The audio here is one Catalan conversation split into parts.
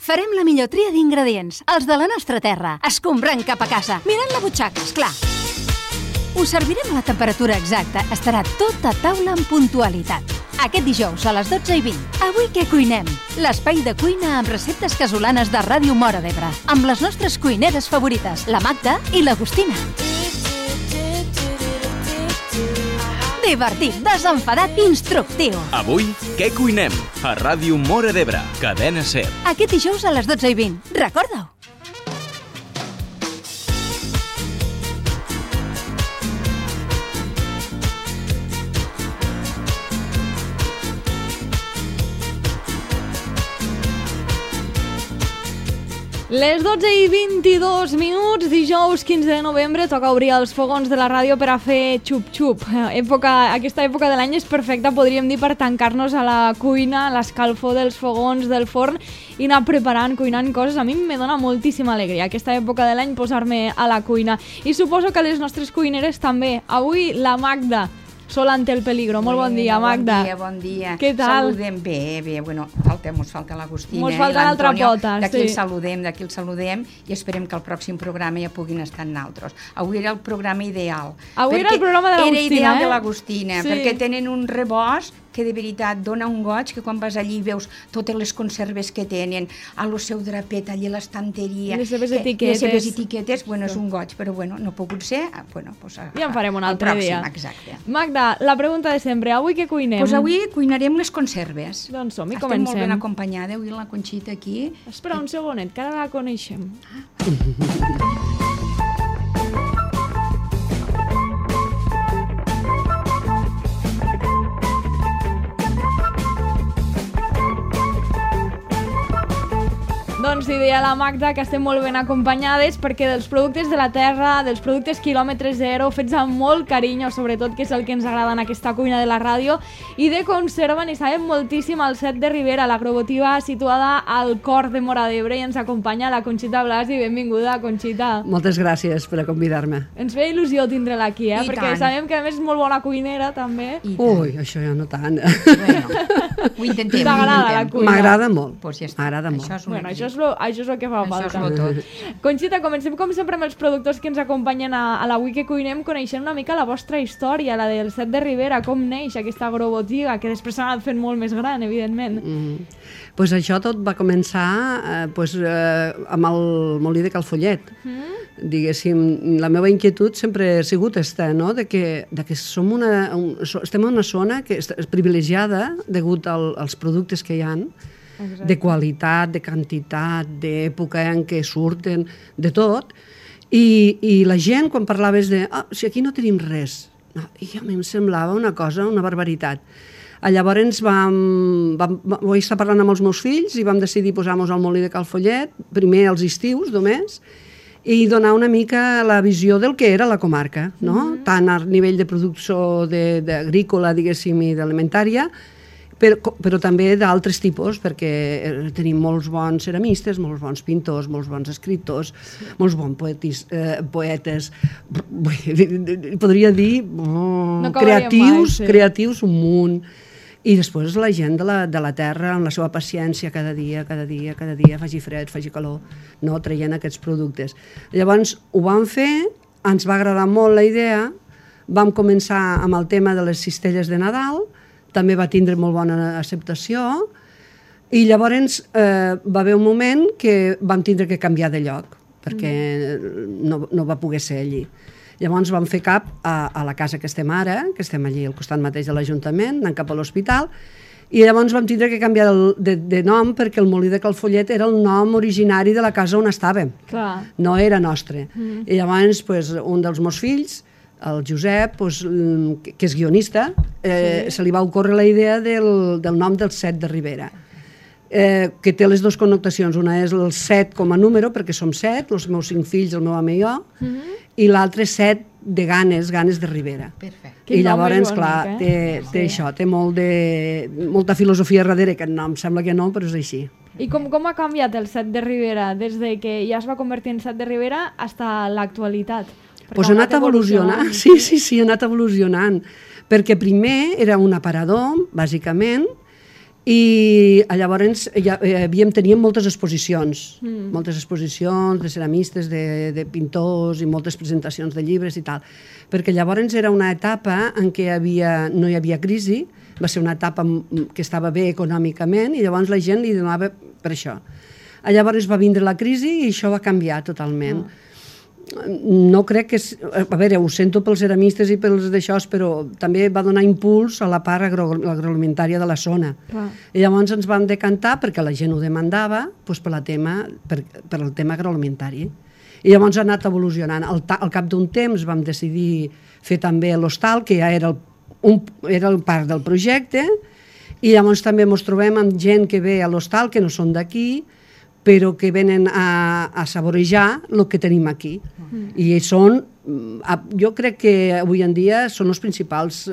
Farem la millor tria d'ingredients, els de la nostra terra, escombrant cap a casa, mirant la butxaca, esclar. Us servirem a la temperatura exacta, estarà tot a taula amb puntualitat. Aquest dijous a les 12:20. Avui què cuinem? L'espai de cuina amb receptes casolanes de Ràdio Móra d'Ebre, amb les nostres cuineres favorites, la Magda i l'Agustina. Divertit, desenfadat i instructiu. Avui, què cuinem? A Ràdio Móra d'Ebre, Cadena SER. Aquest dijous a les 12:20. Recorda-ho. Les 12:22, dijous 15 de novembre, toca obrir els fogons de la ràdio per a fer xup-xup. Aquesta època de l'any és perfecta, podríem dir, per tancar-nos a la cuina, a l'escalfor dels fogons, del forn, i anar preparant, cuinant coses. A mi me dona moltíssima alegria aquesta època de l'any posar-me a la cuina. I suposo que les nostres cuineres també. Avui la Magda, sol ante el peligro. Molt bon dia, Magda. Bon dia. Què tal? Saludem bé. Bueno, mos falta l'Agustina. Mos falta l'altra pota, d'aquí el saludem i esperem que el pròxim programa ja puguin estar en altres. Avui era el programa ideal. Avui era el programa de l'Agustina, Era ideal de l'Agustina, sí. Perquè tenen un rebost que de veritat dona un goig, que quan vas allí veus totes les conserves que tenen, a lo seu drapet, allí a l'estanteria. Les seves etiquetes. Les seves etiquetes, bueno, és un goig, però bueno, no ha pogut ser. Bueno, pues ja en farem un altre dia. Exacte. Magda, la pregunta de sempre, avui què cuinem? Pues avui cuinarem les conserves. Doncs som-hi, Estem comencem. molt ben acompanyada, avui la Conxita aquí. Espera un segonet, que ara la coneixem. Doncs deia la Magda que estem molt ben acompanyades perquè dels productes de la terra, dels productes quilòmetre zero, fets amb molt carinyo, sobretot, que és el que ens agrada en aquesta cuina de la ràdio, i de conserva n'hi sabem moltíssim al Set de Ribera, l'agrobotiga situada al cor de Móra d'Ebre, i ens acompanya la Conxita Blasi. Benvinguda, Conxita. Moltes gràcies per a convidar-me. Ens feia il·lusió tindre-la aquí, I perquè tant. sabem que a més és molt bona cuinera, també. Ui, això ja no tant. Bueno, ho intentem. T'agrada la cuina? M'agrada molt. Pues ja està. M'agrada molt. Això és el que fa Això és falta. lo tot. Conxita, comencem com sempre amb els productors que ens acompanyen a l'Avui que cuinem, coneixent una mica la vostra història, la del Set de Ribera, com neix aquesta agrobotiga, que després s'ha anat fent molt més gran, evidentment. Pues això tot va començar amb el molí de Calfollet. Diguéssim, la meva inquietud sempre ha sigut esta, no? de que estem en una zona que és privilegiada degut als productes que hi ha, de qualitat, de quantitat, d'època en què surten, de tot, i la gent, quan parlaves de si aquí no tenim res, i a mi em semblava una cosa, una barbaritat. Llavors vaig estar parlant amb els meus fills i vam decidir posar-nos al molí de Calfollet, primer als estius només, i donar una mica la visió del que era la comarca, no? Tant a nivell de producció agrícola, diguéssim, i d'alimentària, però també d'altres tipus, perquè tenim molts bons ceramistes, molts bons pintors, molts bons escriptors, molts bons poetes, podria dir creatius un munt. I després la gent de la terra, amb la seva paciència, cada dia, faci fred, faci calor, no, traient aquests productes. Llavors ho vam fer, ens va agradar molt la idea, vam començar amb el tema de les cistelles de Nadal, també va tindre molt bona acceptació, i llavors va haver un moment que vam tindre que canviar de lloc, perquè no va poder ser allí. Llavors vam fer cap a la casa que estem ara, que estem allí al costat mateix de l'Ajuntament, anant cap a l'hospital, i llavors vam tindre que canviar de nom perquè el molí de Calfollet era el nom originari de la casa on estàvem. Clar. No era nostre. I llavors un dels meus fills, el Josep, que és guionista, se li va ocórrer la idea del nom del Set de Ribera, que té les dues connotacions. Una és el 7 com a número, perquè som 7, els meus 5 fills, el meu home i jo, i l'altre 7 de ganes de Ribera. Perfecte. I llavors, clar, té això, té molta filosofia darrere, que no, em sembla que no, però és així. I com ha canviat el Set de Ribera des de que ja es va convertir en Set de Ribera fins a l'actualitat? Doncs ha anat evolucionant, sí, ha anat evolucionant, perquè primer era un aparador, bàsicament, I llavors teníem moltes exposicions, de ceramistes, de pintors i moltes presentacions de llibres i tal, perquè llavors era una etapa en què no hi havia crisi, va ser una etapa que estava bé econòmicament i llavors la gent li donava per això. Llavors va vindre la crisi i això va canviar totalment. No crec que... A veure, ho sento pels ceramistes i pels d'això, però també va donar impuls a la part agroalimentària de la zona. I llavors ens vam decantar, perquè la gent ho demandava, per el tema agroalimentari. I llavors ha anat evolucionant. Al cap d'un temps vam decidir fer també l'hostal, que ja era part del projecte, i llavors també ens trobem amb gent que ve a l'hostal, que no són d'aquí, però que venen a saborejar el que tenim aquí. I són, jo crec que avui en dia són els principals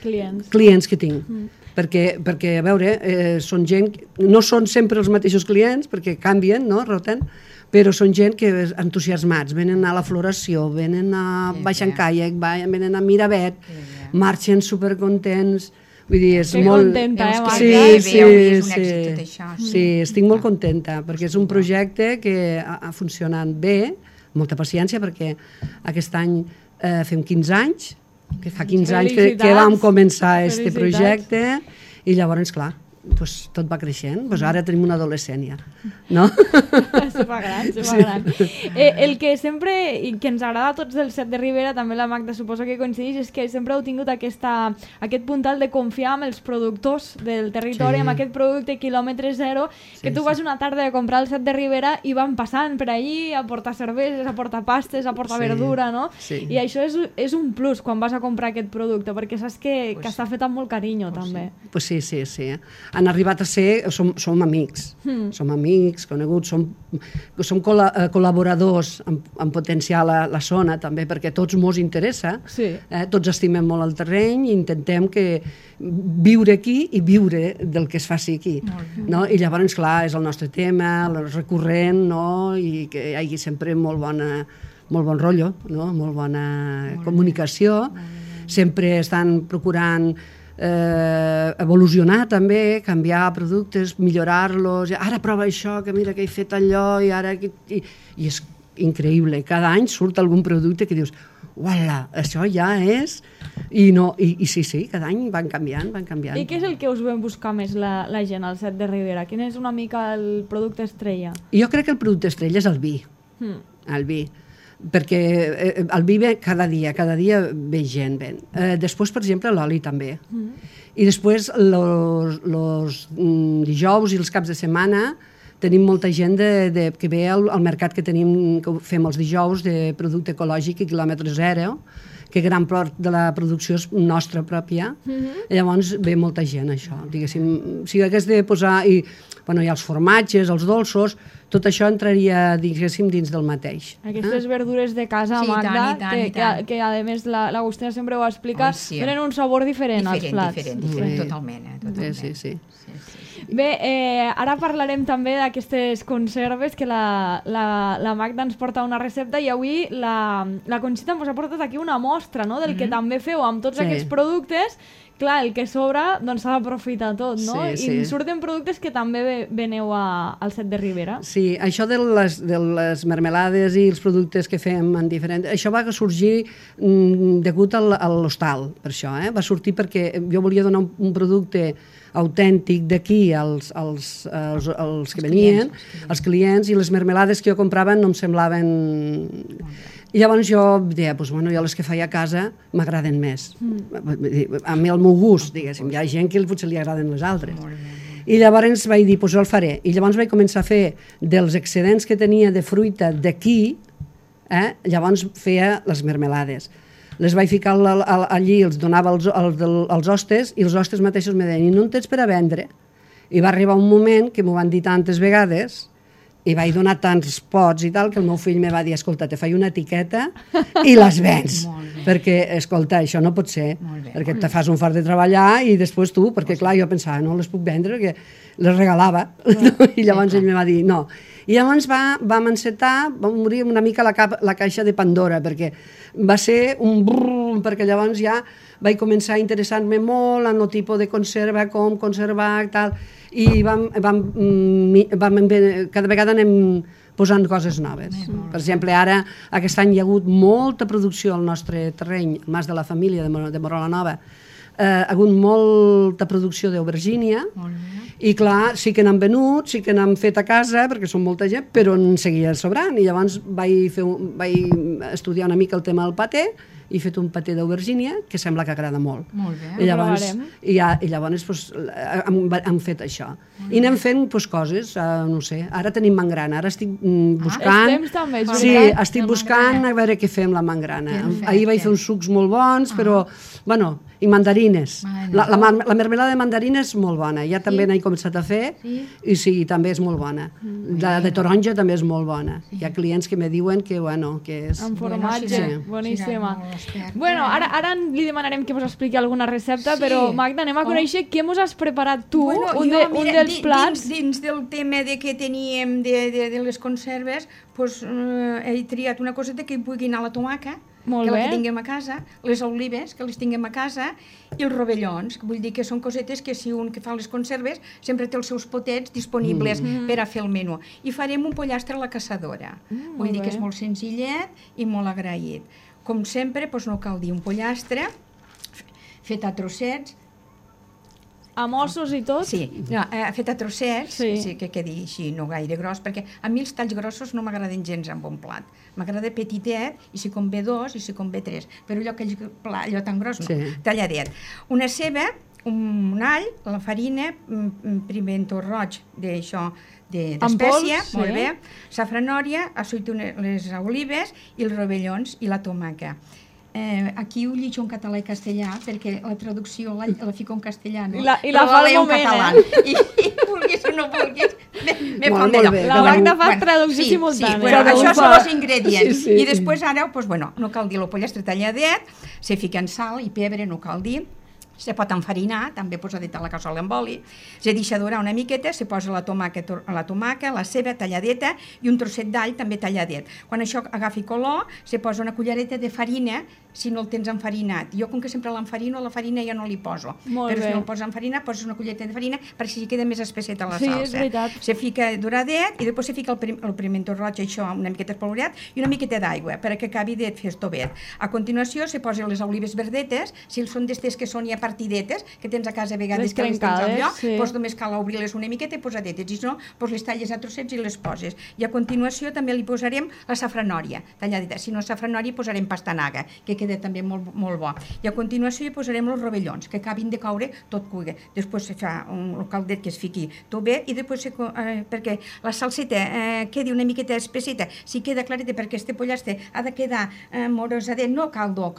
clients que tinc. Perquè, a veure, són gent, no són sempre els mateixos clients, perquè canvien, no, roten, però són gent que entusiasmats, venen a la floració, venen a baixar en caiac, venen a Miravet, marxen supercontents. Vull dir, és molt... contenta, Sí, estic molt contenta, perquè és un projecte que ha funcionat bé, molta paciència, perquè aquest any fem 15 anys, que fa 15 anys que vam començar aquest projecte, i llavors, clar, tot va creixent. Ara tenim una adolescent ja, no? Se fa gran. El que sempre, i que ens agrada a tots del set de Ribera, també la Magda suposo que coincideix, és que sempre heu tingut aquest puntal de confiar en els productors del territori, amb aquest producte quilòmetre zero, que tu vas una tarda a comprar el set de Ribera i van passant per allí a portar cerveses, a portar pastes, a portar verdura, no? I això és un plus quan vas a comprar aquest producte, perquè saps que està fet amb molt carinyo, també. Sí. Han arribat a ser, som amics, coneguts, som col·laboradors en potenciar la zona també, perquè tots mos interessa, tots estimem molt el terreny i intentem viure aquí i viure del que es faci aquí. I llavors, clar, és el nostre tema, el recurrent, i que hi hagi sempre molt bon rotllo, molt bona comunicació, sempre estan procurant evolucionar també, canviar productes, millorar-los, ara prova això, que mira que he fet allò, i és increïble, cada any surt algun producte que dius, uala, això ja és, i sí, cada any van canviant. I què és el que us ven buscar més la gent al set de Ribera? Quin és una mica el producte estrella? Jo crec que el producte estrella és el vi, perquè el vi ve cada dia ve gent. Després, per exemple, l'oli també. I després, els dijous i els caps de setmana, tenim molta gent que ve al mercat que fem els dijous de producte ecològic i quilòmetre zero, que gran part de la producció és nostra pròpia, llavors ve molta gent, això. Diguéssim, si hagués de posar... hi ha els formatges, els dolços, tot això entraria, diguéssim, dins del mateix. Aquestes verdures de casa, Magda, que a més l'Agustina sempre ho explica, donen un sabor diferent als plats. Diferent, totalment. Sí. Bé, ara parlarem també d'aquestes conserves, que la Magda ens porta una recepta, i avui la Conxita ens ha portat aquí una mostra del que també feu amb tots aquests productes. Clar, el que sobra s'ha d'aprofitar tot, no? I surten productes que també veneu al set de Ribera. Sí, això de les mermelades i els productes que fem en diferent... Això va sorgir degut a l'hostal, per això. Va sortir perquè jo volia donar un producte autèntic d'aquí als que venien, als clients, i les mermelades que jo comprava no em semblaven... I llavors jo deia, jo les que faig a casa m'agraden més. A mi el meu gust, diguéssim. Hi ha gent que potser li agraden les altres. I llavors vaig dir, jo el faré. I llavors vaig començar a fer dels excedents que tenia de fruita d'aquí, llavors feia les mermelades. Les vaig ficar allí, els donava als hostes, i els hostes mateixos me deien, i no en tens per a vendre? I va arribar un moment que m'ho van dir tantes vegades, I vaig donar tants pots i tal que el meu fill me va dir, escolta, te faig una etiqueta i les vens. Perquè, escolta, això no pot ser, perquè te fas un fart de treballar i després tu, perquè clar, jo pensava, no les puc vendre perquè les regalava. I llavors ell me va dir, no. I llavors vam encetar, va morir una mica la caixa de Pandora, perquè va ser un brrr, perquè llavors ja vaig començar a interessar-me molt en el tipus de conserva, com conservar, tal, i cada vegada anem posant coses noves. Per exemple, ara, aquest any hi ha hagut molta producció al nostre terreny, al Mas de la Família de Morola Nova, ha hagut molta producció d'aubergínia, i clar, sí que n'han venut, sí que n'han fet a casa, perquè són molta gent, però en seguia sobrant, i llavors vaig estudiar una mica el tema del paté, i he fet un paté d'aubergínia que sembla que agrada molt. Molt bé. I llavors hem fet això. I anem fent coses, no sé, ara tenim mangrana, ara estic buscant... Els temps també, sí, estic buscant a veure què fem la mangrana. Ahir vaig fer uns sucs molt bons, però, bueno, i mandarines. La mermelada de mandarines és molt bona, ja també n'he començat a fer, i sí, també és molt bona. La de taronja també és molt bona. Hi ha clients que me diuen que, bueno, que és... Amb formatge, boníssima. Bueno, ara li demanarem que ens expliqui alguna recepta, però Magda, anem a conèixer què ens has preparat tu, un dels plats. Dins del tema que teníem de les conserves, he triat una coseta que hi pugui anar la tomaca, que la tinguem a casa, les olives, que les tinguem a casa, i els rovellons, que vull dir que són cosetes que si un que fa les conserves sempre té els seus potets disponibles per a fer el menú. I farem un pollastre a la caçadora. Vull dir que és molt senzillet i molt agraït. Com sempre, no cal dir un pollastre fet a trossets. A mossos i tot? Sí, fet a trossets, que quedi així, no gaire gros, perquè a mi els talls grossos no m'agraden gens en un plat. M'agrada petitet, i si convé 2, i si convé 3, però allò tan gros no, talladet. Una ceba, un all, la farina, piment roig d'això, d'espècia, molt bé, safranòria, les olives i els rovellons i la tomaca. Aquí ho llegeixo en català i castellà perquè la traducció la fico en castellà, no? I la fa al moment, I vulguis o no vulguis, me fa molt bé. La Magda fa traducció simultània. Sí, però això són els ingredients. I després ara, no cal dir el pollastre talladet, se fica en sal i pebre, no cal dir, se pot enfarinar, també posadet a la cassola amb oli, se deixa durar una miqueta, se posa la tomaca, la ceba talladeta i un trosset d'all també talladet. Quan això agafi color, se posa una cullereta de farina, si no el tens enfarinat. Jo, com que sempre l'enfarino, la farina ja no li poso. Però si no el poses enfarinat, poses una cullereta de farina perquè si queda més espesseta la salsa. Sí, és veritat. Se fica doradet i després se fica el pimiento roig, això, una miqueta espolvoreat i una miqueta d'aigua perquè acabi de fer estovet. A continuació se posen les olives verdetes, si són d'estes que són ja partidetes, que tens a casa a vegades que les tens al lloc, doncs només cal obrir-les una miqueta i posadetes, i si no, les talles a trossets i les poses. I a continuació també li posarem la safranòria talladeta, si no safranòria posarem pastanaga, que queda també molt bo. I a continuació hi posarem els rovellons, que acabin de caure tot cuiga. Després se fa un caldet que es fiqui tot bé i després, perquè la salseta quedi una miqueta espesseta, si queda clareta, perquè este pollastre ha de quedar morosadet, no caldo,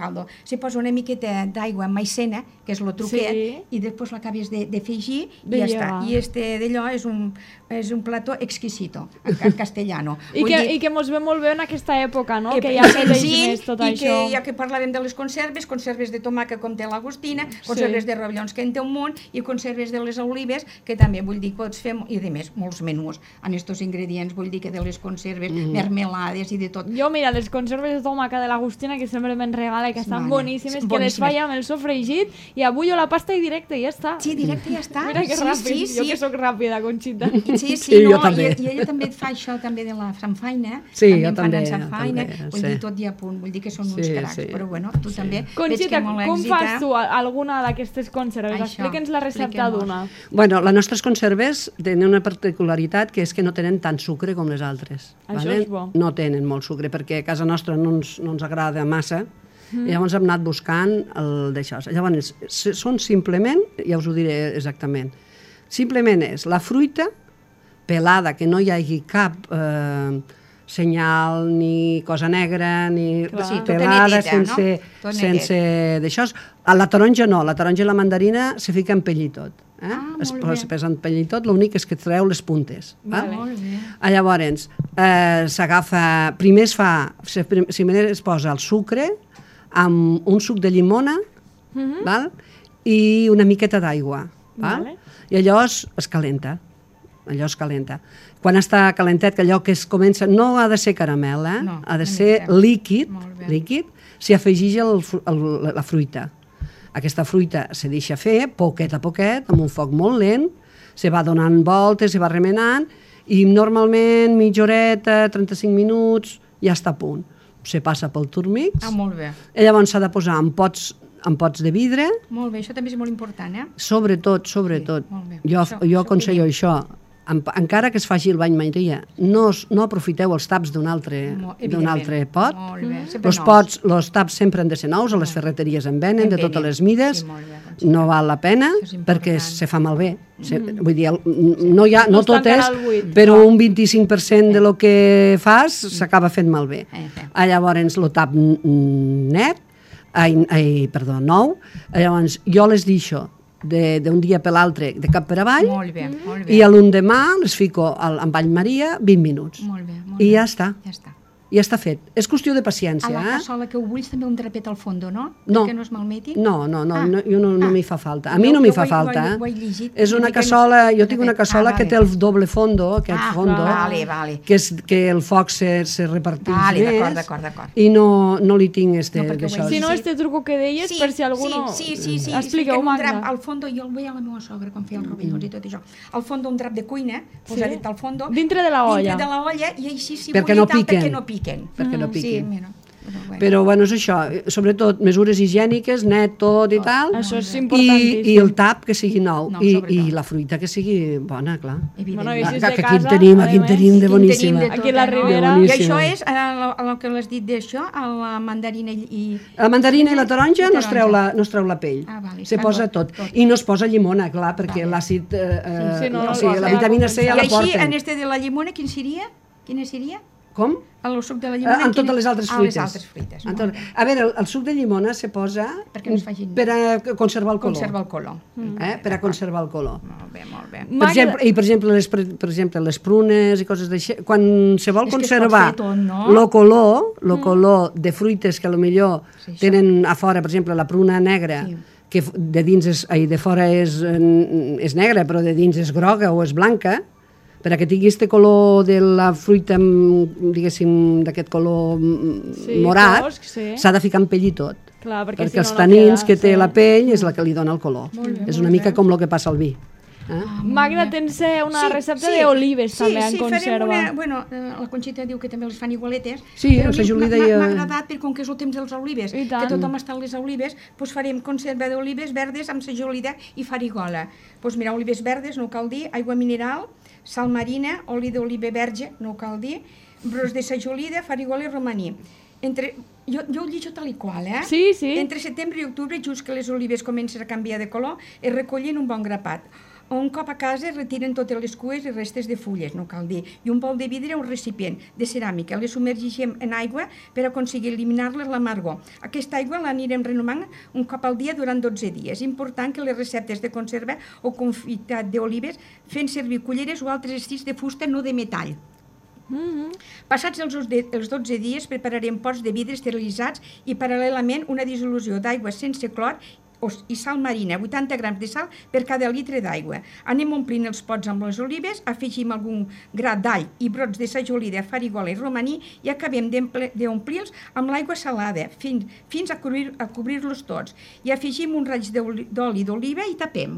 se posa una miqueta d'aigua amb maicena, que és el truquet, i després l'acabes de fegir i ja està. I este d'allò és un plató exquisito, en castellano. I que mos ve molt bé en aquesta època, no? Que ja s'eleix més tot això. I ja que parlàvem de les conserves de tomaca com té l'Agustina, conserves de rovellons que en té un munt, i conserves de les olives, que també vull dir que pots fer, i a més, molts menús en estos ingredients, vull dir que de les conserves, mermelades i de tot. Jo, mira, les conserves de tomaca de l'Agustina, que sempre me'n regala, que estan boníssimes, que les faig amb el sofregit, i avui la pasta i directe, i ja està. Sí, directe, ja està. Mira que ràpid, jo que soc ràpida, Conxita. Sí, no, i ella també et fa això també de la samfaina. Sí, jo també. Vull dir, tot i a punt, vull dir que són uns cracs, però bueno, tu també. Conxita, com fas tu alguna d'aquestes conserves? Explica'ns la recepta d'una. Bueno, les nostres conserves tenen una particularitat, que és que no tenen tant sucre com les altres. Això és bo. No tenen molt sucre, perquè a casa nostra no ens agrada massa, i llavors hem anat buscant el d'això. Llavors, són simplement, ja us ho diré exactament, simplement és la fruita pelada, que no hi hagi cap senyal, ni cosa negra, ni pelada, sense d'això. A la taronja no, la taronja i la mandarina se fica en pell i tot. Es pesa en pell i tot, l'únic és que treu les puntes. Molt bé. Llavors, s'agafa... Primer es posa el sucre amb un suc de llimona i una miqueta d'aigua. I allò es calenta. Quan està calentet, que allò que es comença... No ha de ser caramel, ha de ser líquid, s'hi afegeix la fruita. Aquesta fruita se deixa fer, poquet a poquet, amb un foc molt lent, se va donant voltes, se va remenant, i normalment mitja horeta, 35 minuts, ja està a punt. Se passa pel turmix. Molt bé. I llavors s'ha de posar en pots de vidre. Molt bé, això també és molt important, Sobretot. Jo aconsello això. Encara que es faci el bany Maria, no aprofiteu els taps d'un altre pot. Els taps sempre han de ser nous, a les ferreteries en venen, de totes les mides. No val la pena perquè se fa malbé. Vull dir, no tot és, però un 25% de lo que fas s'acaba fent malbé. Llavors, el tap nou, llavors jo les deixo d'un dia per l'altre, de cap per avall, i a l'endemà les fico en bany Maria 20 minuts. I ja està. Ja està fet. És qüestió de paciència. A la cassola que ho bulls també un drapet al fons, no? No. Que no es malmeti? No, jo no m'hi fa falta. A mi no m'hi fa falta. És una cassola, jo tinc una cassola que té el doble fondo, aquest fondo, que el foc se reparteix més, i no li tinc d'això. Si no, truco que deies, per si algú no... Sí. Expliqueu, Magda. Al fons, jo el veia a la meva sogra quan feia els rovellons i tot això. Al fons un drap de cuina, posadet al fons. Dintre de la olla. Dintre de la olla, i així s'hi perquè no piquen. Perquè no piquin. Però bueno, és això, sobretot mesures higièniques, net tot i tal, això és importantíssim. I el tap que sigui nou, i la fruita que sigui bona, clar. Aquí en tenim de boníssima. Aquí a la Ribera. I això és el que l'has dit d'això, la mandarina i... La mandarina i la taronja no es treu la pell, se posa tot. I no es posa llimona, clar, perquè l'àcid, la vitamina C ja la porten. I així, en este de la llimona, quina seria? Com? El suc de la llimona? En totes les altres fruites. Les altres fruites. A veure, el suc de llimona se posa per a conservar el color. Per a conservar el color. Molt bé. I, per exemple, les prunes i coses d'això, quan se vol conservar el color de fruites que potser tenen a fora, per exemple, la pruna negra, que de fora és negra, però de dins és groga o és blanca, perquè tingui aquest color de la fruita, diguéssim, d'aquest color morat, s'ha de ficar en pell i tot. Perquè els tanins que té la pell és la que li dona el color. És una mica com el que passa al vi. Magda, tens una recepta d'olives també en conserva. Bueno, la Conxita diu que també les fan igualetes. Sí, la Juli deia... M'ha agradat, perquè com que és el temps dels olives, que tothom està a les olives, doncs farem conserva d'olives verdes amb sajolida i farigola. Doncs mira, olives verdes, no cal dir, aigua mineral, sal marina, oli d'oliva verge, no cal dir, brots de sajolida, farigola i romaní. Jo ho llegeixo tal i qual, Sí. Entre setembre i octubre, just que les olives comencen a canviar de color, es recollen un bon grapat. Un cop a casa es retiren totes les cues i restes de fulles, no cal dir, i un bol de vidre o un recipient de ceràmica. Les submergeixem en aigua per aconseguir eliminar-les l'amargor. Aquesta aigua l'anirem renovant un cop al dia durant 12 dies. És important que les receptes de conserva o confitat d'olives fent servir culleres o altres estils de fusta, no de metall. Passats els 12 dies prepararem pots de vidre esterilitzats i paral·lelament una dissolució d'aigua sense clor i sal marina, 80 grams de sal per cada litre d'aigua. Anem omplint els pots amb les olives, afegim algun gra d'all i brots de sajolida, farigola i romaní i acabem d'omplir-los amb l'aigua salada fins a cobrir-los tots. I afegim un raig d'oli d'oliva i tapem.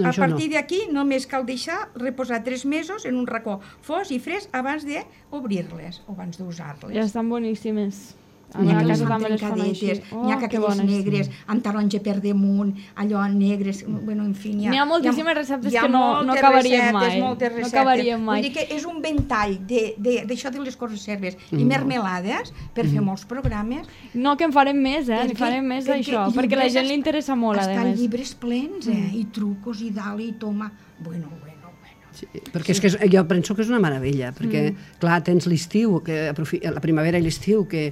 A partir d'aquí només cal deixar reposar 3 mesos en un racó fos i fresc abans d'obrir-les o abans d'usar-les. Ja estan boníssimes. N'hi ha que les fan trencadetes, n'hi ha que aquelles negres, amb taronja per damunt, allò negres, bueno, en fi... N'hi ha moltíssimes receptes que no acabaríem mai. No acabaríem mai. Vull dir que és un ventall d'això de les conserves i mermelades per fer molts programes. No, que en farem més, en farem més d'això, perquè a la gent li interessa molt, a més. Estan llibres plens, i trucos, i dalt, i toma... Bueno. Sí, perquè és que jo penso que és una meravella, perquè, clar, tens l'estiu, la primavera i l'estiu, que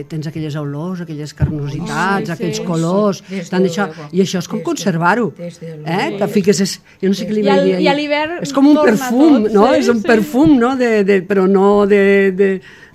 tens aquelles olors, aquelles carnositats, aquells colors, tant això, i això és com conservar-ho. Te fiques, jo no sé què li vaig dir. I a l'hivern és com un perfum, no? És un perfum, no? Però no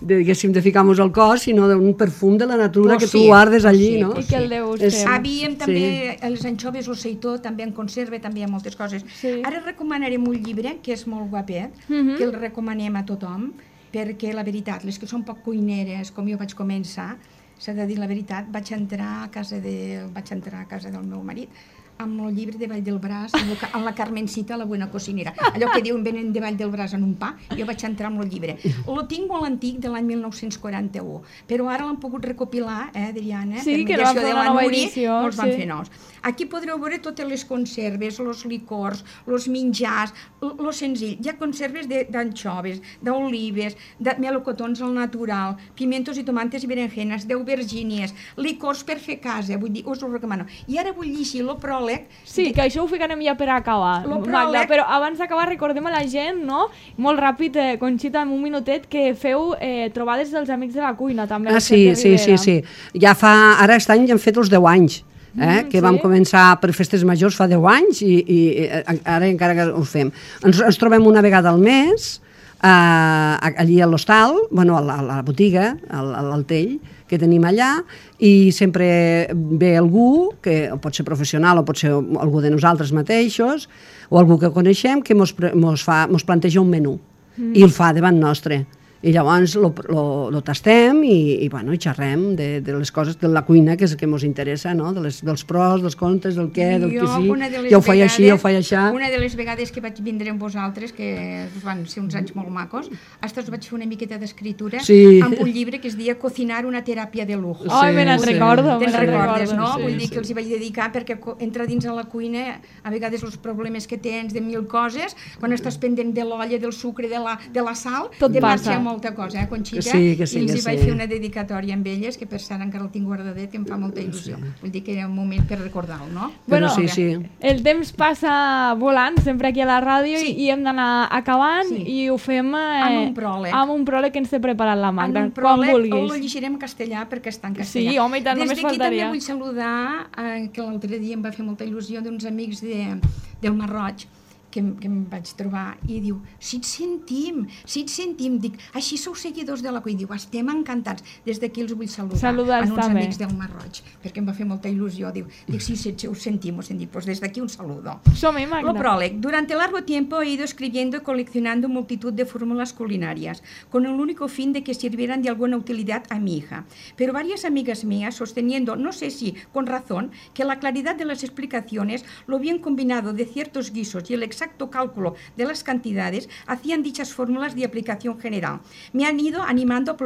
diguéssim, de ficar-nos al cos, sinó d'un perfum de la natura que tu guardes allí, no? I que el deus fer. Havíem també els anxoves, el seitó, també en conserva, també hi ha moltes coses. Ara recomanarem un llibre que és molt guapet, que el recomanem a tothom, perquè la veritat, les que són poc cuineres, com jo vaig començar, s'ha de dir la veritat, vaig entrar a casa del meu marit amb el llibre de Vall del Bràs, amb la Carmencita, la buena cocinera. Allò que diuen venen de Vall del Bràs en un pa, jo vaig entrar amb el llibre. Lo tinc molt antic, de l'any 1941, però ara l'han pogut recopilar, Adriana, per mediació de la Núria, els van fer nous. Aquí podreu veure totes les conserves, els licors, els menjars, lo senzill. Hi ha conserves d'anxoves, d'olives, de melocotons al natural, pimientos i tomates i berenjenes, d'aubergínies, licors per fer casa, vull dir, us ho recomano. I ara vull llegir lo pròleg. Sí, que això ho ficarem ja per acabar, Magda, però abans d'acabar recordem a la gent, no? Molt ràpid, Conxita, en un minutet, que feu trobades dels amics de la cuina, també. Sí. Ja ara aquest any ja han fet els 10 anys. Que vam començar per festes majors fa 10 anys i ara encara que ho fem. Ens trobem una vegada al mes allí a l'hostal, bueno, a la botiga, al tell que tenim allà, i sempre ve algú, que pot ser professional o pot ser algú de nosaltres mateixos, o algú que coneixem, que mos planteja un menú i el fa davant nostre. I llavors lo tastem i xerrem de les coses de la cuina, que és el que ens interessa, no? Dels pros, dels contres, del què, del que sí. Ja ho faig així, ja ho faig així. Una de les vegades que vaig vindre amb vosaltres, que van ser uns anys molt macos, hasta us vaig fer una miqueta d'escritura amb un llibre que es deia Cocinar una teràpia de lujo. Ai, me n'en recordo. Te'n recordes, no? Vull dir que els hi vaig dedicar perquè entra dins a la cuina, a vegades els problemes que tens de mil coses, quan estàs pendent de l'olla, del sucre, de la sal, te marxa molta cosa, Conxita, i els hi vaig fer una dedicatòria amb elles, que per cert encara el tinc guardadet, que em fa molta il·lusió. Vull dir que era un moment per recordar-ho, no? Bueno, el temps passa volant, sempre aquí a la ràdio, i hem d'anar acabant, i ho fem amb un pròleg que ens té preparat la Magda, quan vulguis. El llegirem en castellà, perquè està en castellà. Sí, home, i tant, només faltaria. Des d'aquí també vull saludar, que l'altre dia em va fer molta il·lusió, d'uns amics del Marroig, que em vaig trobar, i diu, si et sentim, dic, així sou seguidors de la cuina, diu, estem encantats, des d'aquí els vull saludar, a uns amics del Marroig, perquè em va fer molta il·lusió, diu, si us sentim, pues desde aquí un saludo. Som-hi, Magda. Lo pròleg. Durante largo tiempo he ido escribiendo y coleccionando multitud de fórmulas culinarias, con el único fin de que sirvieran de alguna utilidad a mi hija. Pero varias amigas mías, sosteniendo, no sé si con razón, que la claridad de las explicaciones, lo bien combinado de ciertos guisos y el exacto cálculo de las cantidades hacían dichas fórmulas de aplicación general. Me han ido animando a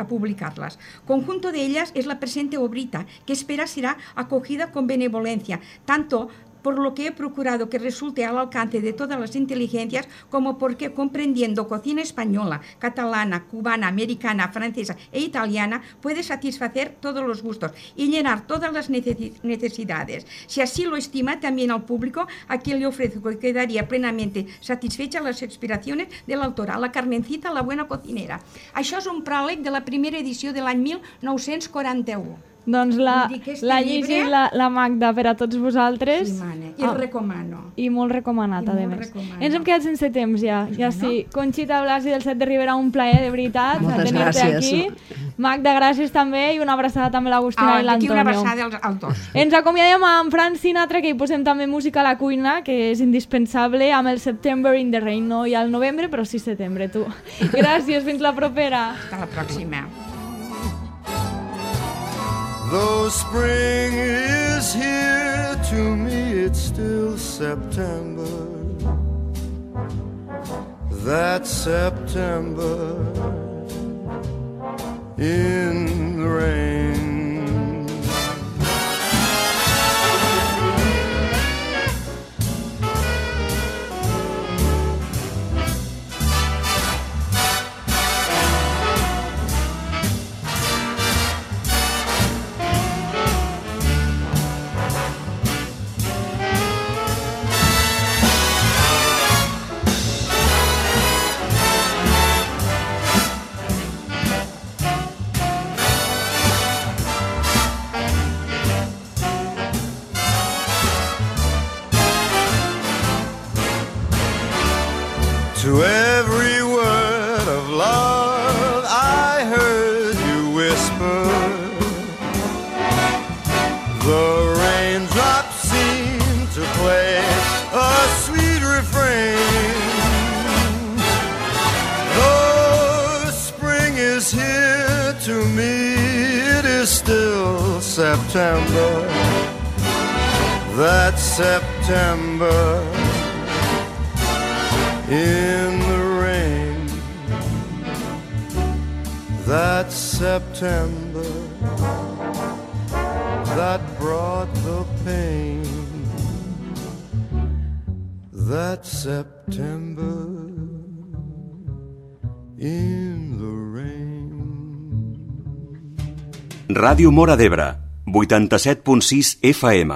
publicarlas. Conjunto de ellas es la presente obrita, que espera será acogida con benevolencia, tanto por lo que he procurado que resulte al alcance de todas las inteligencias, como porque comprendiendo cocina española, catalana, cubana, americana, francesa e italiana, puede satisfacer todos los gustos y llenar todas las necesidades. Si así lo estima también al público, a quien le ofrezco que quedaría plenamente satisfecha las aspiraciones de la autora, la Carmencita, la buena cocinera. Això és un pròleg de la primera edició de l'any 1941. Doncs la llegir la Magda per a tots vosaltres. Sí, mane. I el recomano. I molt recomanat, a més. Ens hem quedat sense temps ja. Sí. Conxita Blasi del Set de Ribera, un plaer, de veritat, tenir-te aquí. Magda, gràcies també, i una abraçada també a l'Agustina i l'Antonio. Aquí una abraçada als dos. Ens acomiadem amb Frank Sinatra, que hi posem també música a la cuina, que és indispensable, amb el September in the Rain, no hi ha el novembre, però sí setembre, tu. Gràcies, fins la propera. Hasta la pròxima. Though spring is here, to me it's still September. That September in the rain. is here to me, it is still September. That September in the rain. That September that brought the pain. That September in the rain. Ràdio Móra d'Ebre, 87.6 FM.